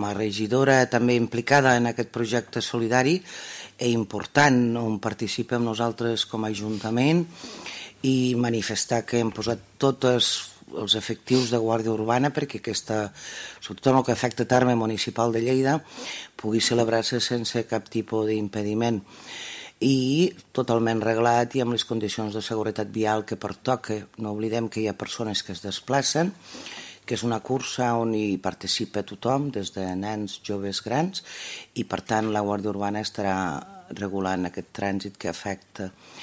Com a regidora també implicada en aquest projecte solidari i important on participem nosaltres com a Ajuntament i manifestar que hem posat tots els efectius de Guàrdia Urbana perquè aquesta, sobretot en el que afecta terme municipal de Lleida, pugui celebrar-se sense cap tipus d'impediment i totalment reglat i amb les condicions de seguretat vial que pertoca. No oblidem que hi ha persones que es desplacen, que és una cursa on hi participa tothom, des de nens, joves, grans, i per tant la Guàrdia Urbana estarà regulant aquest trànsit que afecta